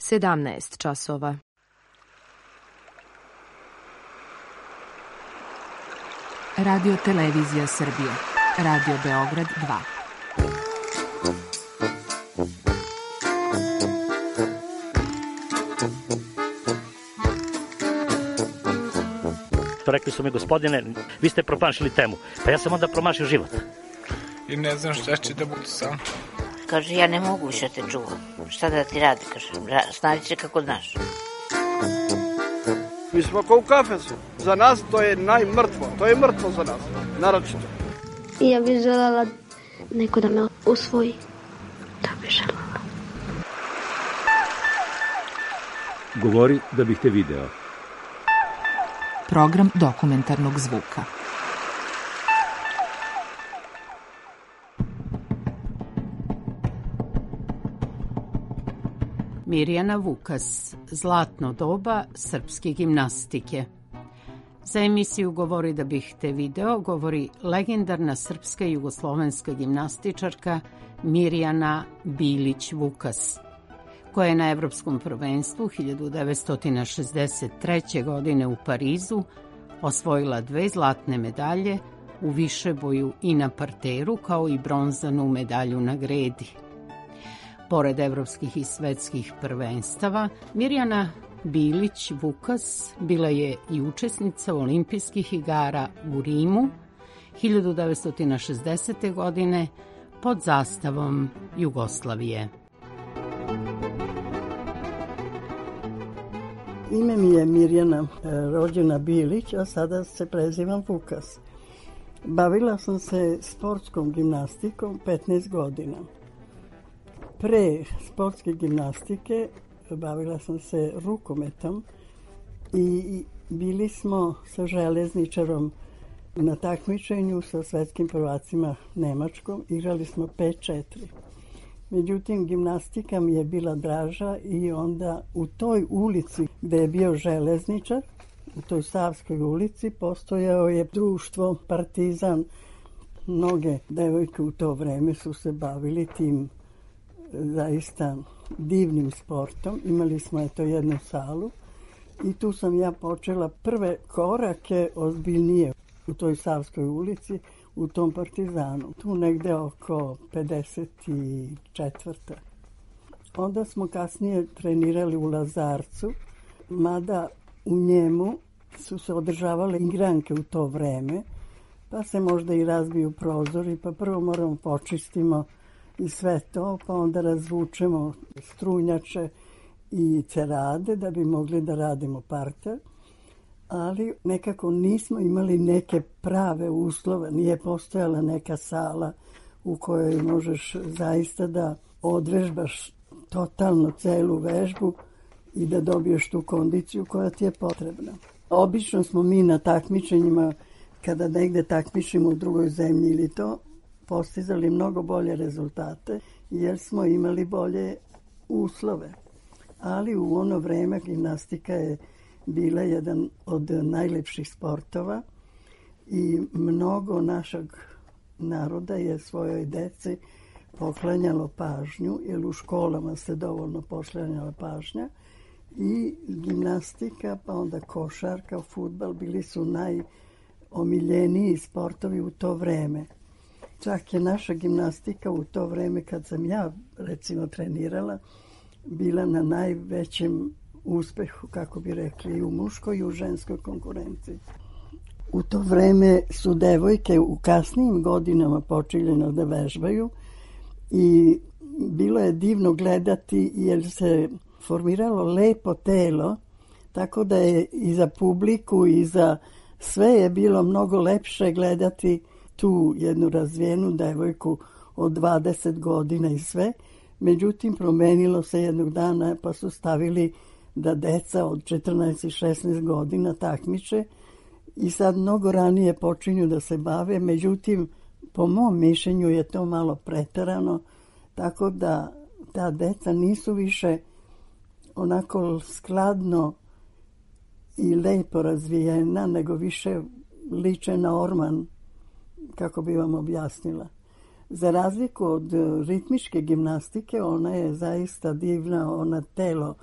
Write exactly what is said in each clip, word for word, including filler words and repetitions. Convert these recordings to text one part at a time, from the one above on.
sedamnaest časova. Radio Televizija Srbije. Radio Beograd dva. Rekli su mi, gospodine, vi ste promašili temu. Pa ja sam onda promašio život. I ne znam šta će da budu sam. Kaže, ja ne mogu više te čuvam. Šta da ti radi, kaže, snađi se kako znaš. Mi smo kao u kafesu. Za nas to je najmrtvo. To je mrtvo za nas, naročito. Ja bih želela neko da me usvoji. Da bih želela. Govori da bih te video. Program dokumentarnog zvuka. Mirjana Vukas, zlatno doba srpske gimnastike. Za emisiju Govori da bih te video govori legendarna srpska i jugoslovenska gimnastičarka Mirjana Bilić Vukas, koja je na Evropskom prvenstvu hiljadu devetsto šezdeset treće. godine u Parizu osvojila dve zlatne medalje u višeboju i na parteru, kao i bronzanu medalju na gredi. Pored evropskih i svetskih prvenstava, Mirjana Bilić Vukas bila je i učesnica olimpijskih igara u Rimu hiljadu devetsto šezdesete. godine pod zastavom Jugoslavije. Ime mi je Mirjana, rođena Bilić, a sada se prezivam Vukas. Bavila sam se sportskom gimnastikom petnaest godina. Pre sportske gimnastike bavila sam se rukometom i bili smo sa železničarom na takmičenju sa svetskim prvacima Nemačkom. Igrali smo pet četiri. Međutim, gimnastika mi je bila draža i onda u toj ulici gde je bio železničar, u toj Savskoj ulici, postojao je društvo Partizan. Mnoge devojke u to vreme su se bavili tim zaista divnim sportom. Imali smo eto jednu salu i tu sam ja počela prve korake ozbiljnije u toj Savskoj ulici, u tom Partizanu. Tu negde oko pedeset četvrte. Onda smo kasnije trenirali u Lazarcu, mada u njemu su se održavale igranke u to vreme, pa se možda i razbiju prozori, pa prvo moramo počistimo i sve to, pa onda razvučemo strunjače i cerade da bi mogli da radimo parter. Ali nekako nismo imali neke prave uslove, nije postojala neka sala u kojoj možeš zaista da odvežbaš totalno celu vežbu i da dobiješ tu kondiciju koja ti je potrebna. Obično smo mi na takmičenjima, kada negde takmičimo u drugoj zemlji ili to, postizali mnogo bolje rezultate jer smo imali bolje uslove. Ali u ono vreme gimnastika je bila jedan od najlepših sportova i mnogo našeg naroda je svojoj deci poklanjalo pažnju, jer u školama se dovoljno poklanjala pažnja, i gimnastika, pa onda košarka, fudbal bili su najomiljeniji sportovi u to vreme. Čak je naša gimnastika u to vreme, kad sam ja recimo trenirala, bila na najvećem uspehu, kako bi rekli, i u muškoj i u ženskoj konkurenciji. U to vreme su devojke u kasnijim godinama počeljeno da vežbaju i bilo je divno gledati jer se formiralo lepo telo, tako da je i za publiku i za sve je bilo mnogo lepše gledati tu jednu razvijenu devojku od dvadeset godina i sve. Međutim, promenilo se jednog dana pa su stavili da deca od četrnaest i šesnaest godina takmiče i sad mnogo ranije počinju da se bave. Međutim, po mom mišljenju je to malo preterano, tako da ta deca nisu više onako skladno i lepo razvijena, nego više liče na orman, kako bi vam objasnila. Za razliku od ritmičke gimnastike, ona je zaista divna, ona telo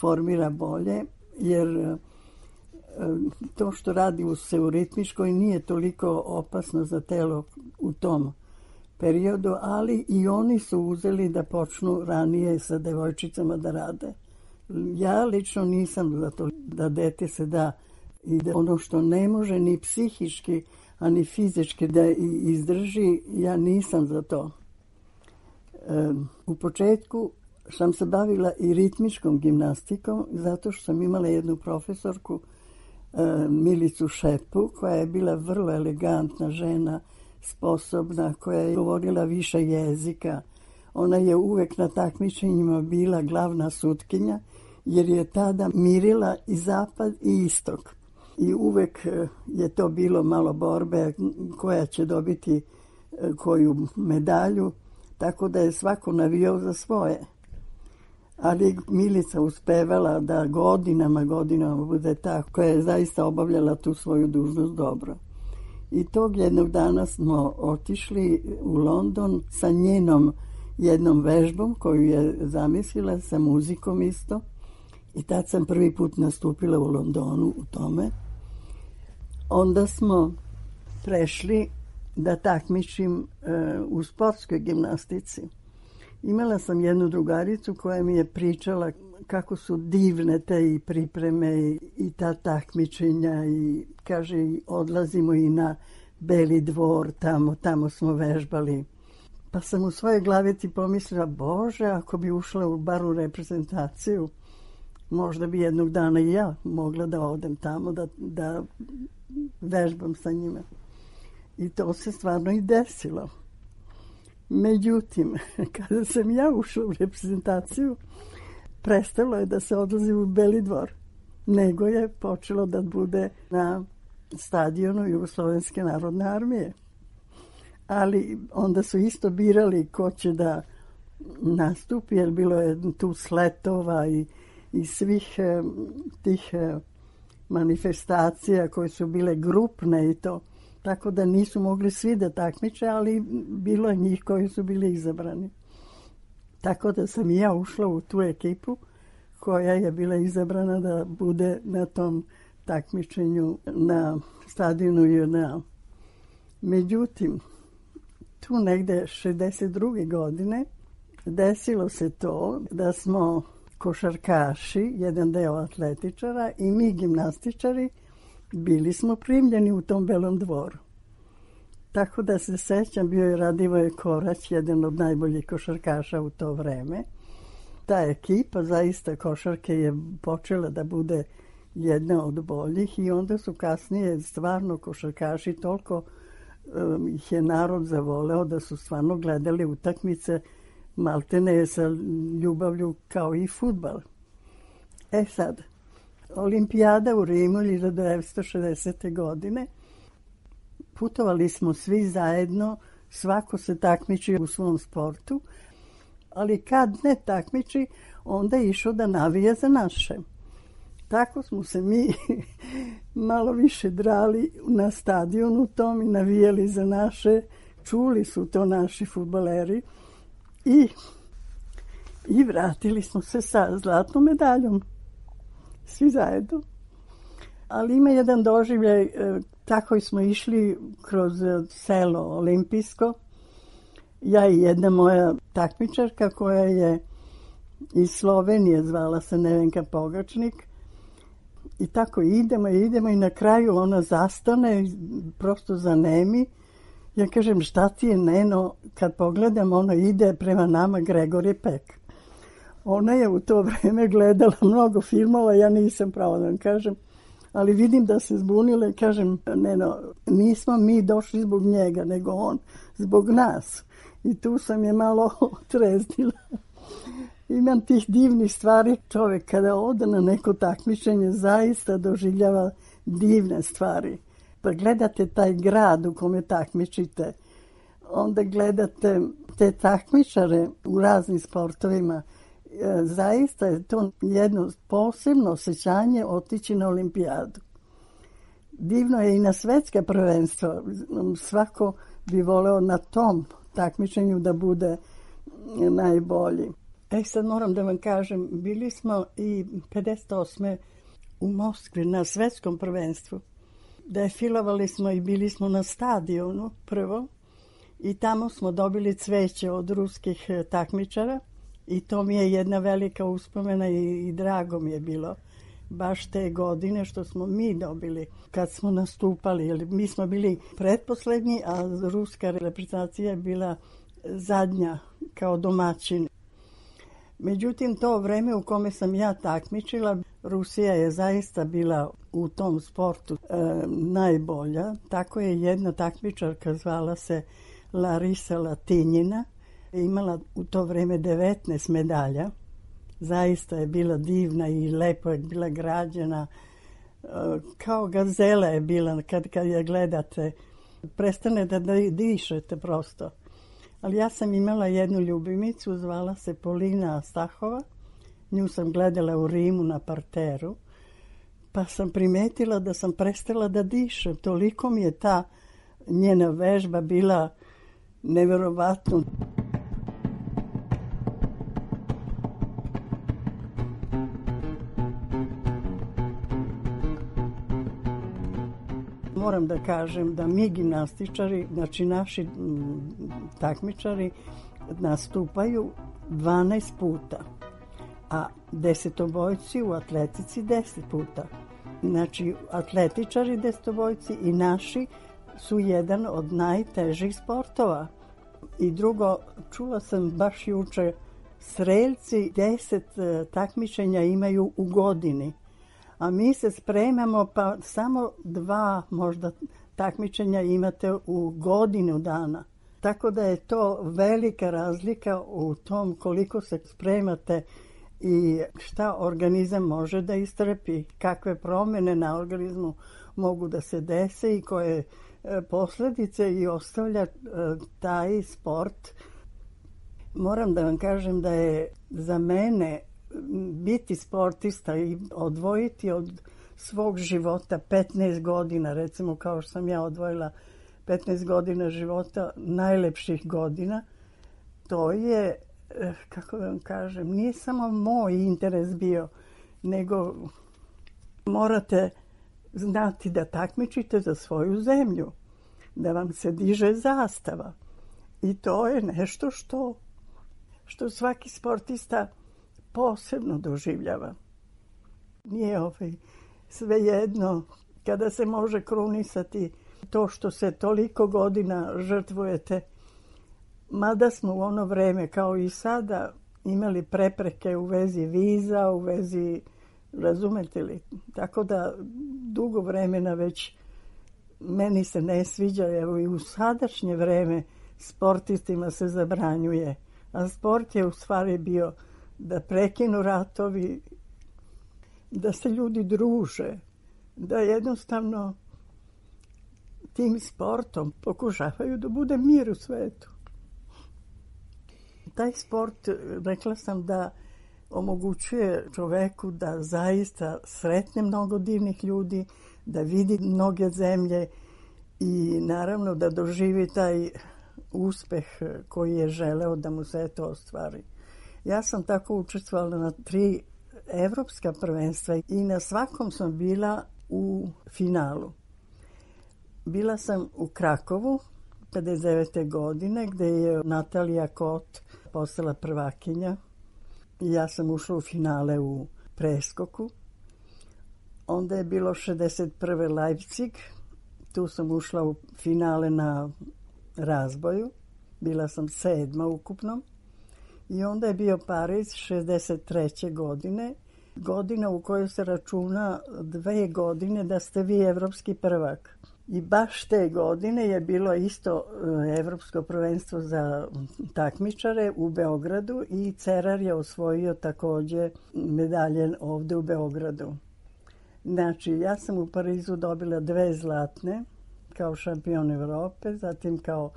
formira bolje, jer to što radi se u ritmičkoj nije toliko opasno za telo u tom periodu, ali i oni su uzeli da počnu ranije sa devojčicama da rade. Ja lično nisam za to da dete se da i da ono što ne može ni psihički, a ni fizički da izdrži, ja nisam za to. E, u početku sam se bavila i ritmičkom gimnastikom, zato što sam imala jednu profesorku, e, Milicu Šepu, koja je bila vrlo elegantna žena, sposobna, koja je govorila više jezika. Ona je uvek na takmičenjima bila glavna sutkinja, jer je tada mirila i zapad i istok. I uvek je to bilo malo borbe koja će dobiti koju medalju, tako da je svako navijao za svoje. Ali Milica uspevala da godinama, godinama bude ta koja je zaista obavljala tu svoju dužnost dobro. I tog jednog dana smo otišli u London sa njenom jednom vežbom koju je zamislila, sa muzikom isto. I tad sam prvi put nastupila u Londonu u tome. Onda smo prešli da takmičim e, u sportskoj gimnastici. Imala sam jednu drugaricu koja mi je pričala kako su divne te i pripreme i, i ta takmičenja i kaže odlazimo i na Beli dvor, tamo, tamo smo vežbali. Pa sam u svojoj glavi ti pomislila, Bože, ako bi ušla u bar u reprezentaciju, možda bi jednog dana i ja mogla da odem tamo, da, da vežbam sa njima. I to se stvarno i desilo. Međutim, kada sam ja ušla u reprezentaciju, prestalo je da se odlazi u Beli dvor, nego je počelo da bude na stadionu Jugoslovenske narodne armije. Ali onda su isto birali ko će da nastupi, jer bilo je tu sletova i, i svih eh, tih eh, manifestacija koje su bile grupne i to. Tako da nisu mogli svi da takmiče, ali bilo je njih koji su bili izabrani. Tako da sam i ja ušla u tu ekipu koja je bila izabrana da bude na tom takmičenju na stadionu J N A. Međutim, tu negde šezdeset druge godine desilo se to da smo košarkaši, jedan deo atletičara i mi gimnastičari bili smo primljeni u tom Belom dvoru. Tako da se sećam, bio je Radivoje Korać, jedan od najboljih košarkaša u to vreme. Ta ekipa zaista košarke je počela da bude jedna od boljih i onda su kasnije stvarno košarkaši toliko um, ih je narod zavoleo da su stvarno gledali utakmice maltene sa ljubavlju kao i fudbal. E sad, Olimpijada u Rimu hiljadu devetsto šezdesete. godine. Putovali smo svi zajedno, svako se takmiči u svom sportu, ali kad ne takmiči, onda je išao da navija za naše. Tako smo se mi malo više drali na stadionu tom i navijali za naše. Čuli su to naši fudbaleri i, i vratili smo se sa zlatnom medaljom. Svi zajedno. Ali ima jedan doživljaj, tako smo išli kroz selo olimpijsko. Ja i jedna moja takmičarka koja je iz Slovenije, zvala se Nevenka Pogačnik. I tako idemo, idemo i na kraju ona zastane, prosto zanemi. Ja kažem, šta ti je, Neno? Kad pogledam, ono ide prema nama Gregori Pek. Ona je u to vreme gledala mnogo filmova, ja nisam pravo da vam kažem, ali vidim da se zbunila i kažem, Neno, nismo mi došli zbog njega, nego on zbog nas. I tu sam je malo otreznila. Imam tih divnih stvari. Čovjek kada ode na neko takmičenje zaista doživljava divne stvari. Pa gledate taj grad u kome takmičite, onda gledate te takmičare u raznim sportovima. Zaista je to jedno posebno osjećanje otići na olimpijadu. Divno je i na svetska prvenstva. Svako bi voleo na tom takmičenju da bude najbolji. E sad moram da vam kažem, bili smo i pedeset osme u Moskvi na svetskom prvenstvu. Defilovali smo i bili smo na stadionu prvo i tamo smo dobili cveće od ruskih takmičara i to mi je jedna velika uspomena i, i drago mi je bilo baš te godine što smo mi dobili kad smo nastupali. Jer mi smo bili pretposlednji, a ruska reprezentacija je bila zadnja kao domaćin. Međutim, to vreme u kome sam ja takmičila, Rusija je zaista bila u tom sportu e, najbolja. Tako je jedna takmičarka, zvala se Larisa Latinjina, imala u to vreme devetnaest medalja. Zaista je bila divna i lepo je bila građena. E, kao gazela je bila kad, kad je gledate. Prestane da dišete prosto. Ali ja sam imala jednu ljubimicu, zvala se Polina Stahova. Nju sam gledala u Rimu na parteru. Pa sam primetila da sam prestala da dišem. Toliko mi je ta njena vežba bila neverovatna. Moram da kažem da mi gimnastičari, znači naši takmičari, nastupaju dvanaest puta, a desetobojci u atletici deset puta. Znači, atletičari desetobojci i naši su jedan od najtežih sportova. I drugo, čula sam baš juče, streljci deset takmičenja imaju u godini. A mi se spremamo, pa samo dva možda takmičenja imate u godinu dana. Tako da je to velika razlika u tom koliko se spremate i šta organizam može da istrpi, kakve promjene na organizmu mogu da se dese i koje posljedice i ostavlja taj sport. Moram da vam kažem da je za mene biti sportista i odvojiti od svog života petnaest godina, recimo kao što sam ja odvojila petnaest godina života, najlepših godina, to je, kako da vam kažem, nije samo moj interes bio, nego morate znati da takmičite za svoju zemlju, da vam se diže zastava. I to je nešto što, što svaki sportista posebno doživljava. Nije ovaj svejedno kada se može krunisati to što se toliko godina žrtvujete. Mada smo u ono vreme, kao i sada, imali prepreke u vezi viza, u vezi, razumete li? Tako da dugo vremena već meni se ne sviđa, evo i u sadašnje vreme sportistima se zabranjuje. A sport je u stvari bio da prekinu ratovi, da se ljudi druže, da jednostavno tim sportom pokušavaju da bude mir u svetu. Taj sport, rekla sam, da omogućuje čoveku da zaista sretne mnogo divnih ljudi, da vidi mnoge zemlje i naravno da doživi taj uspeh koji je želeo da mu se to ostvari. Ja sam tako učestvovala na tri evropska prvenstva i na svakom sam bila u finalu. Bila sam u Krakovu pedeset devete godine gdje je Natalija Kot postala prvakinja. Ja sam ušla u finale u preskoku. Onda je bilo šezdeset prve Leipzig. Tu sam ušla u finale na razboju. Bila sam sedma ukupno. I onda je bio Pariz šezdeset treće godine. Godina u kojoj se računa dve godine da ste vi evropski prvak. I baš te godine je bilo isto evropsko prvenstvo za takmičare u Beogradu i Cerar je osvojio također medalje ovdje u Beogradu. Znači, ja sam u Parizu dobila dve zlatne kao šampion Evrope, zatim kao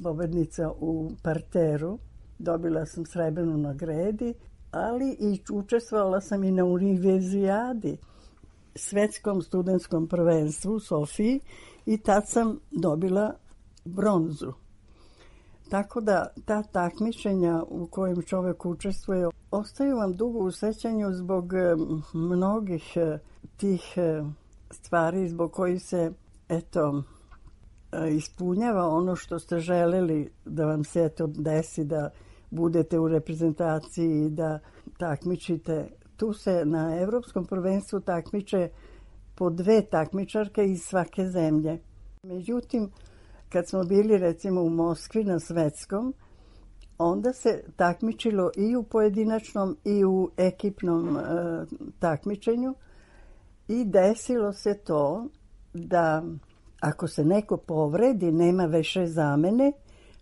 pobednica u parteru. Dobila sam srebrnu na gredi, ali i učestvovala sam i na univerzijadi, svetskom studentskom prvenstvu u Sofiji i tad sam dobila bronzu. Tako da ta takmičenja u kojem čovjek učestvuje ostaju vam dugo u sećanju zbog mnogih tih stvari zbog kojih se eto ispunjava ono što ste želeli da vam se eto desi, da budete u reprezentaciji, da takmičite. Tu se na Evropskom prvenstvu takmiče po dve takmičarke iz svake zemlje. Međutim, kad smo bili recimo u Moskvi na svetskom, onda se takmičilo i u pojedinačnom i u ekipnom e, takmičenju i desilo se to da ako se neko povredi, nema više zamene,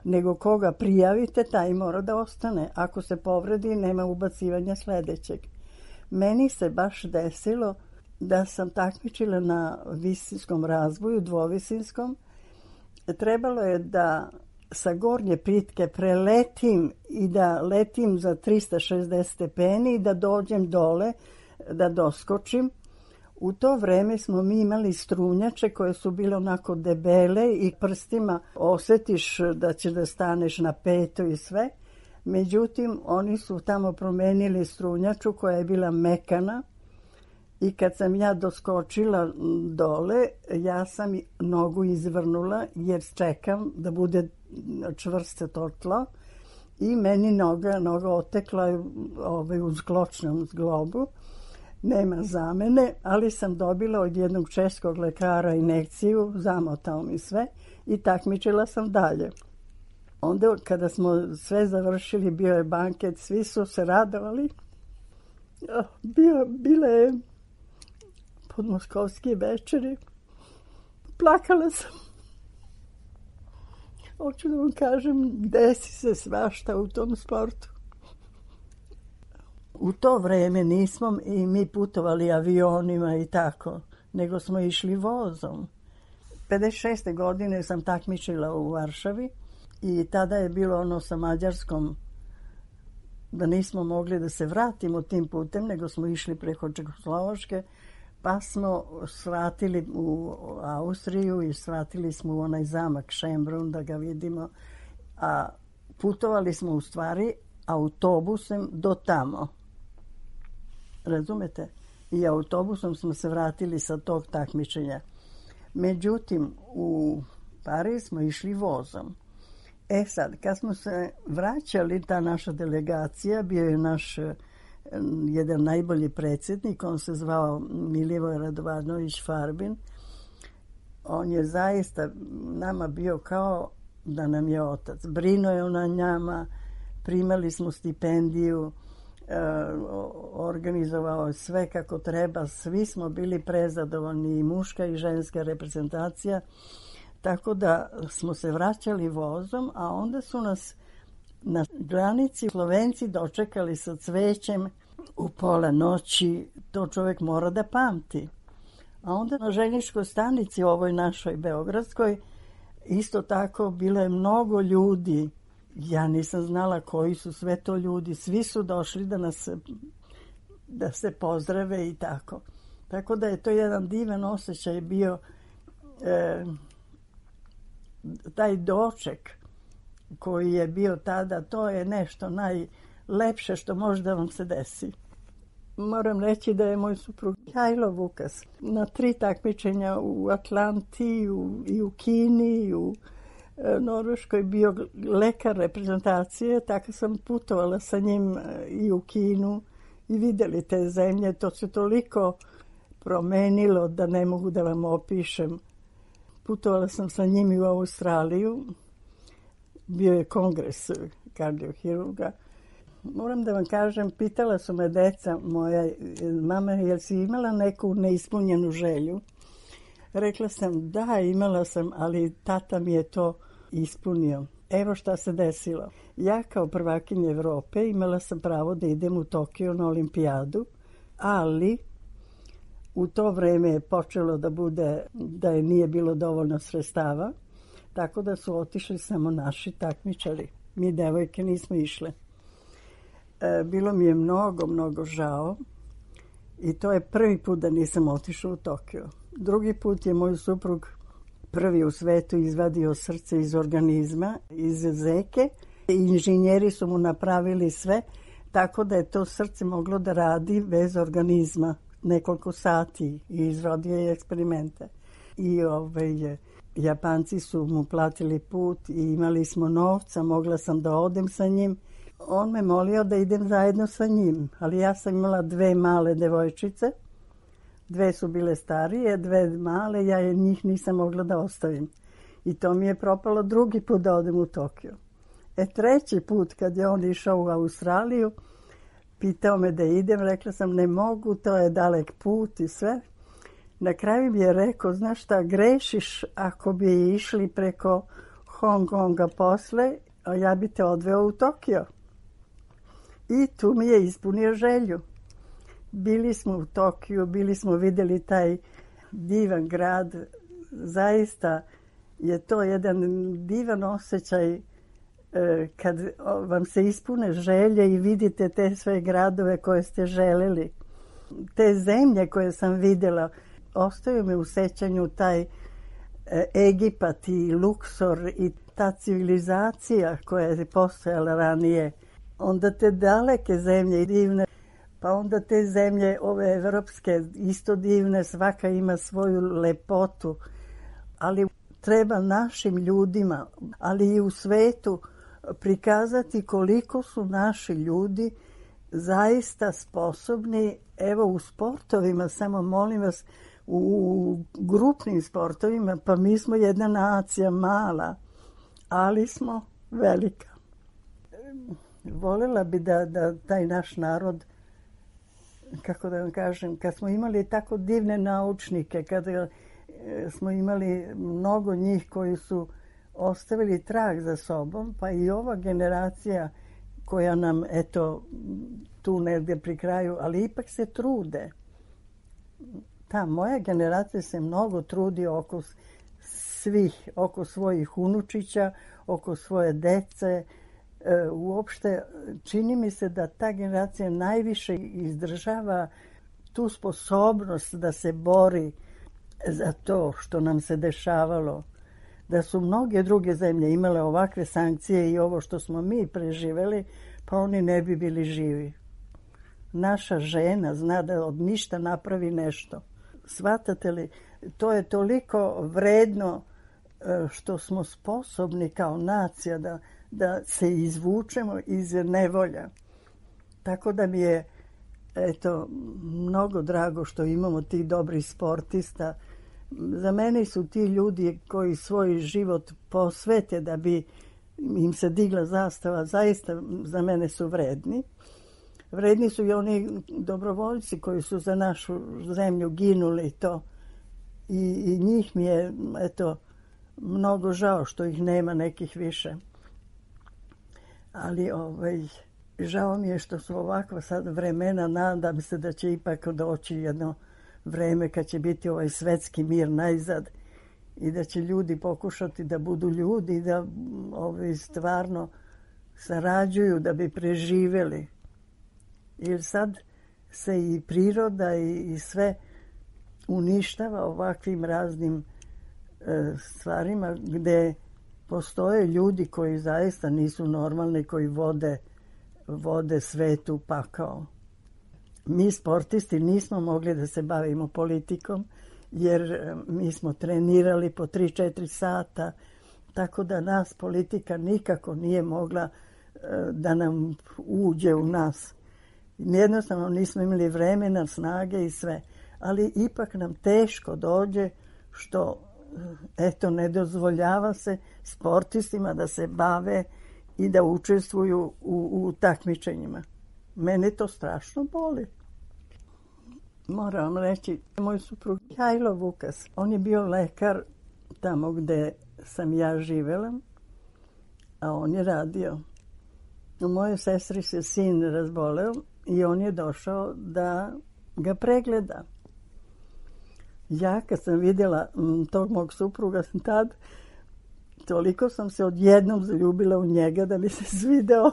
nego koga prijavite, taj mora da ostane. Ako se povredi, nema ubacivanja sledećeg. Meni se baš desilo da sam takmičila na visinskom razvoju, dvovisinskom. Trebalo je da sa gornje pritke preletim i da letim za trista šezdeset stepeni i da dođem dole, da doskočim. U to vreme smo mi imali strunjače koje su bile onako debele i prstima osjetiš da će da staneš na peto i sve. Međutim, oni su tamo promenili strunjaču koja je bila mekana i kad sam ja doskočila dole, ja sam nogu izvrnula jer čekam da bude čvrsto to tlo i meni noga, noga otekla ovaj, u zgločnom zglobu. Nema zamene, ali sam dobila od jednog českog lekara injekciju, zamotao mi sve i takmičila sam dalje. Onda kada smo sve završili, bio je banket, svi su se radovali. Bio, bile je podmoskovske večeri. Plakala sam. Hoću da vam kažem, desi se svašta u tom sportu. U to vreme nismo i mi putovali avionima i tako, nego smo išli vozom. pedeset šeste godine sam takmičila u Varšavi i tada je bilo ono sa Mađarskom da nismo mogli da se vratimo tim putem, nego smo išli preko Čehoslovačke, pa smo svratili u Austriju i svratili smo u onaj zamak Schönbrunn da ga vidimo, a putovali smo u stvari autobusem do tamo. Razumete? I autobusom smo se vratili sa tog takmičenja. Međutim, u Pariz smo išli vozom. E sad, kad smo se vraćali, ta naša delegacija, bio je naš jedan najbolji predsjednik, on se zvao Milivoj Radovanović Farbin. On je zaista nama bio kao da nam je otac. Brinuo je na njama, primali smo stipendiju, organizovao sve kako treba, svi smo bili prezadovoljni, i muška i ženska reprezentacija, tako da smo se vraćali vozom, a onda su nas na granici Slovenci dočekali sa cvećem u pola noći, to čovjek mora da pamti. A onda na željezničkoj stanici, ovoj našoj beogradskoj, isto tako bilo je mnogo ljudi. Ja nisam znala koji su sve to ljudi. Svi su došli da nas da se pozdrave i tako. Tako da je to jedan divan osjećaj bio, e, taj doček koji je bio tada, to je nešto najlepše što može da vam se desi. Moram reći da je moj suprug Mihajlo Vukas na tri takmičenja u Atlanti u, i u Kini i u Norveškoj bio lekar reprezentacije, tako sam putovala sa njim i u Kinu i vidjeli te zemlje. To se toliko promenilo da ne mogu da vam opišem. Putovala sam sa njim i u Australiju. Bio je kongres kardiohirurga. Moram da vam kažem, pitala su me deca moja, mama, jel si imala neku neispunjenu želju? Rekla sam, da, imala sam, ali tata mi je to ispunio. Evo šta se desilo. Ja kao prvakinja Evrope imala sam pravo da idem u Tokio na olimpijadu, ali u to vreme je počelo da bude, da je nije bilo dovoljno sredstava, tako da su otišli samo naši takmičari. Mi devojke nismo išle. E, bilo mi je mnogo, mnogo žao i to je prvi put da nisam otišla u Tokio. Drugi put je moj suprug prvi u svetu izvadio srce iz organizma, iz zeke. Inženjeri su mu napravili sve, tako da je to srce moglo da radi bez organizma nekoliko sati i izrodio je eksperimente. I ovaj, Japanci su mu platili put i imali smo novca, mogla sam da odem sa njim. On me molio da idem zajedno sa njim, ali ja sam imala dve male devojčice. Dve su bile starije, dve male, ja je njih nisam mogla da ostavim. I to mi je propalo drugi put da odem u Tokio. E treći put kad je on išao u Australiju, pitao me da idem, rekla sam ne mogu, to je dalek put i sve. Na kraju mi je rekao, znaš šta, grešiš ako bi išli preko Hong Konga posle, a ja bi te odveo u Tokio. I tu mi je ispunio želju. Bili smo u Tokiju, bili smo vidjeli taj divan grad. Zaista je to jedan divan osjećaj kad vam se ispune želje i vidite te sve gradove koje ste želeli. Te zemlje koje sam vidjela, ostaju mi u sećanju taj Egipat i Luksor i ta civilizacija koja je postojala ranije. Onda te daleke zemlje divne, pa onda te zemlje ove evropske isto divne, svaka ima svoju lepotu, ali treba našim ljudima, ali i u svetu prikazati koliko su naši ljudi zaista sposobni, evo u sportovima, samo molim vas, u grupnim sportovima, pa mi smo jedna nacija mala, ali smo velika. Voljela bi da, da taj naš narod, kako da vam kažem, kad smo imali tako divne naučnike, kada smo imali mnogo njih koji su ostavili trag za sobom, pa i ova generacija koja nam, eto, tu negdje pri kraju, ali ipak se trude. Ta moja generacija se mnogo trudi oko svih, oko svojih unučića, oko svoje dece. E, uopšte, čini mi se da ta generacija najviše izdržava tu sposobnost da se bori za to što nam se dešavalo. Da su mnoge druge zemlje imale ovakve sankcije i ovo što smo mi preživeli, pa oni ne bi bili živi. Naša žena zna da od ništa napravi nešto. Shvatate li, to je toliko vredno što smo sposobni kao nacija da, da se izvučemo iz nevolja. Tako da mi je eto, mnogo drago što imamo tih dobrih sportista. Za mene su ti ljudi koji svoj život posvete da bi im se digla zastava, zaista za mene su vredni. Vredni su i oni dobrovoljci koji su za našu zemlju ginuli to. I, i njih mi je, eto, mnogo žao što ih nema nekih više. Ali ovaj, žao mi je što su ovakva sad vremena, nadam se da će ipak doći jedno vreme kad će biti ovaj svetski mir najzad i da će ljudi pokušati da budu ljudi i da ovaj, stvarno sarađuju da bi preživjeli. Jer sad se i priroda i, i sve uništava ovakvim raznim e, stvarima gdje postoje ljudi koji zaista nisu normalni, koji vode, vode svet u pakao. Mi sportisti nismo mogli da se bavimo politikom jer mi smo trenirali po tri četiri sata, tako da nas politika nikako nije mogla e, da nam uđe u nas. Jednostavno nismo imali vremena, snage i sve. Ali ipak nam teško dođe što eto, ne dozvoljava se sportistima da se bave i da učestvuju u, u takmičenjima. Mene to strašno boli. Moram vam reći, moj suprug Hajlo Vukas, on je bio lekar tamo gde sam ja živela, a on je radio. U mojoj sestri se sin razboleo i on je došao da ga pregleda. Ja kad sam vidjela m, tog mog supruga tad, toliko sam se odjednom zaljubila u njega da mi se svideo.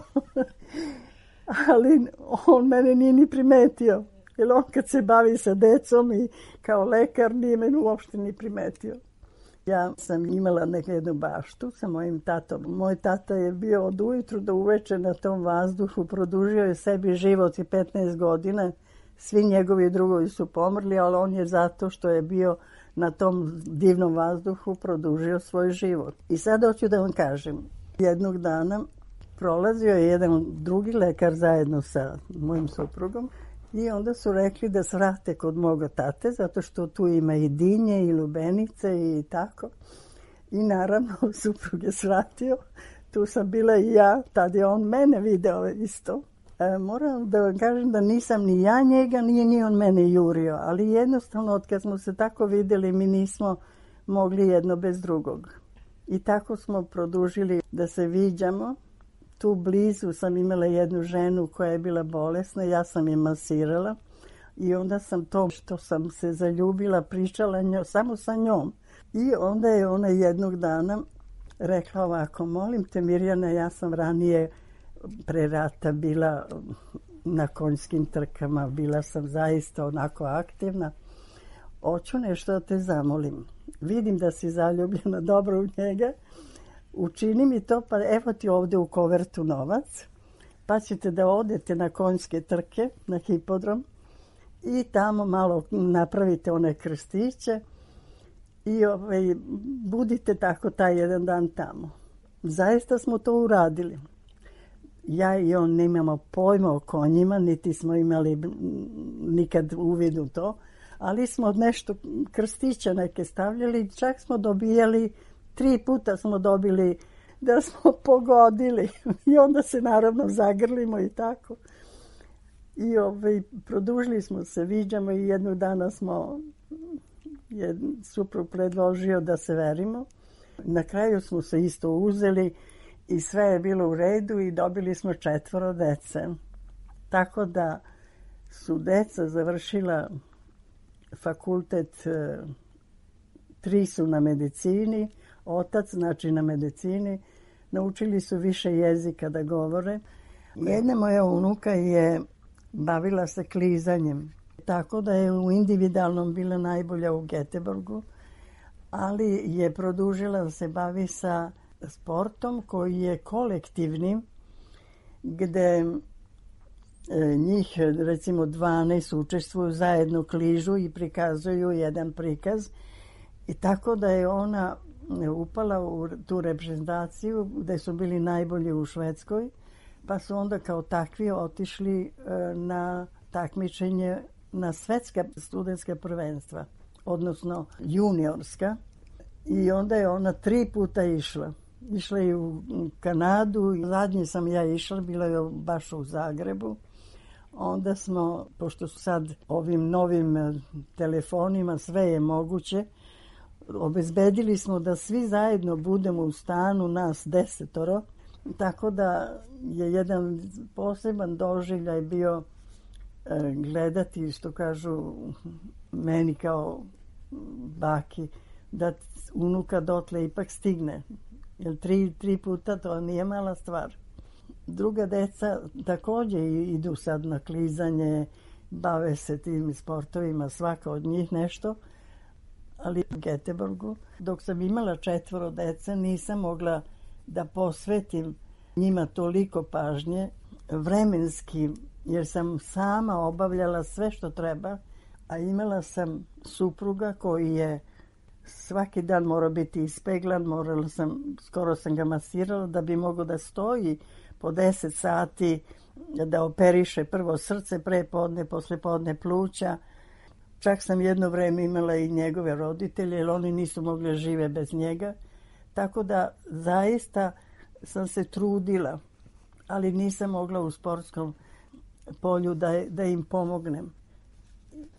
Ali on mene nije ni primetio. Jer on kad se bavi sa decom i kao lekar nije mene uopšte ni primetio. Ja sam imala neku jednu baštu sa mojim tatom. Moj tata je bio od ujutru do uveče na tom vazduhu, produžio je sebi život i petnaest godina. Svi njegovi drugovi su pomrli, ali on je zato što je bio na tom divnom vazduhu produžio svoj život. I sad hoću da vam kažem, jednog dana prolazio je jedan drugi lekar zajedno sa mojim suprugom i onda su rekli da se vrate kod moga tate, zato što tu ima i dinje i lubenice i tako. I naravno suprug je svratio, tu sam bila i ja, tad je on mene video isto. E, moram da vam kažem da nisam ni ja njega, nije ni on mene jurio, ali jednostavno od kad smo se tako videli mi nismo mogli jedno bez drugog. I tako smo produžili da se viđamo. Tu blizu sam imala jednu ženu koja je bila bolesna, ja sam je masirala i onda sam to što sam se zaljubila pričala njo, samo sa njom. I onda je ona jednog dana rekla ovako, molim te Mirjana, ja sam ranije pre rata bila na konjskim trkama, bila sam zaista onako aktivna. Hoću nešto da te zamolim. Vidim da si zaljubljena dobro u njega. Učini mi to, pa evo ti ovdje u kovertu novac, pa ćete da odete na konjske trke, na hipodrom i tamo malo napravite one krstiće i ovaj, budite tako taj jedan dan tamo. Zaista smo to uradili. Ja i on nemamo pojma o konjima, niti smo imali nikad uvid u to, ali smo nešto krstića neke stavljali, čak smo dobijali, tri puta smo dobili da smo pogodili i onda se naravno zagrlimo i tako. I ovaj, produžili smo se, viđamo i jednog dana smo, je suprug predložio da se verimo. Na kraju smo se isto uzeli i sve je bilo u redu i dobili smo četvoro dece. Tako da su deca završila fakultet, tri su na medicini, otac znači na medicini, naučili su više jezika da govore. Jedna moja unuka je bavila se klizanjem, tako da je u individualnom bila najbolja u Göteborgu, ali je produžila da se bavi sa sportom koji je kolektivni, gde njih recimo dvanaest učestvuju zajedno, kližu i prikazuju jedan prikaz. I tako da je ona upala u tu reprezentaciju gde su bili najbolji u Švedskoj, pa su onda kao takvi otišli na takmičenje na svetska studentska prvenstva, odnosno juniorska. I onda je ona tri puta išla. Išla je u Kanadu, zadnje sam ja išla, bila je baš u Zagrebu. Onda smo, pošto su sad ovim novim telefonima sve je moguće, obezbedili smo da svi zajedno budemo u stanu, nas desetoro, tako da je jedan poseban doživljaj bio e, gledati, što kažu meni kao baki, da unuka dotle ipak stigne. Jer tri, tri puta to nije mala stvar. Druga deca također idu sad na klizanje, bave se tim sportovima, svaka od njih nešto, ali u Göteborgu, dok sam imala četvoro dece, nisam mogla da posvetim njima toliko pažnje, vremenski, jer sam sama obavljala sve što treba, a imala sam supruga koji je svaki dan morao biti ispeglan, morala sam, skoro sam ga masirala da bi mogao da stoji po deset sati, da operiše prvo srce, prepodne, poslepodne pluća. Čak sam jedno vreme imala i njegove roditelje, jer oni nisu mogli žive bez njega. Tako da zaista sam se trudila, ali nisam mogla u sportskom polju da, da im pomognem.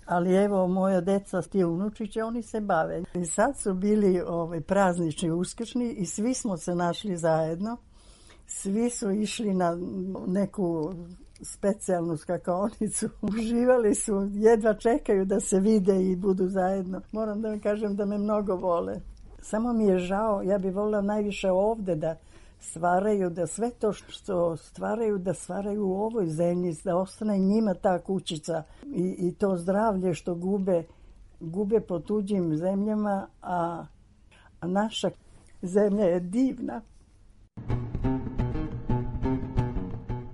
Ali evo, moja deca, ti unučiće, oni se bave. I sad su bili ovaj, praznični uskršnji i svi smo se našli zajedno. Svi su išli na neku specijalnu skakaonicu. Uživali su, jedva čekaju da se vide i budu zajedno. Moram da vam kažem da me mnogo vole. Samo mi je žao, ja bih volila najviše ovde da stvaraju, da sve to što stvaraju, da stvaraju u ovoj zemlji, da ostane njima ta kućica i, i to zdravlje što gube, gube po tuđim zemljama, a, A naša zemlja je divna.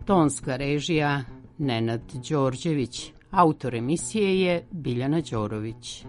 Tonska režija Nenad Đorđević, autor emisije je Biljana Đorović.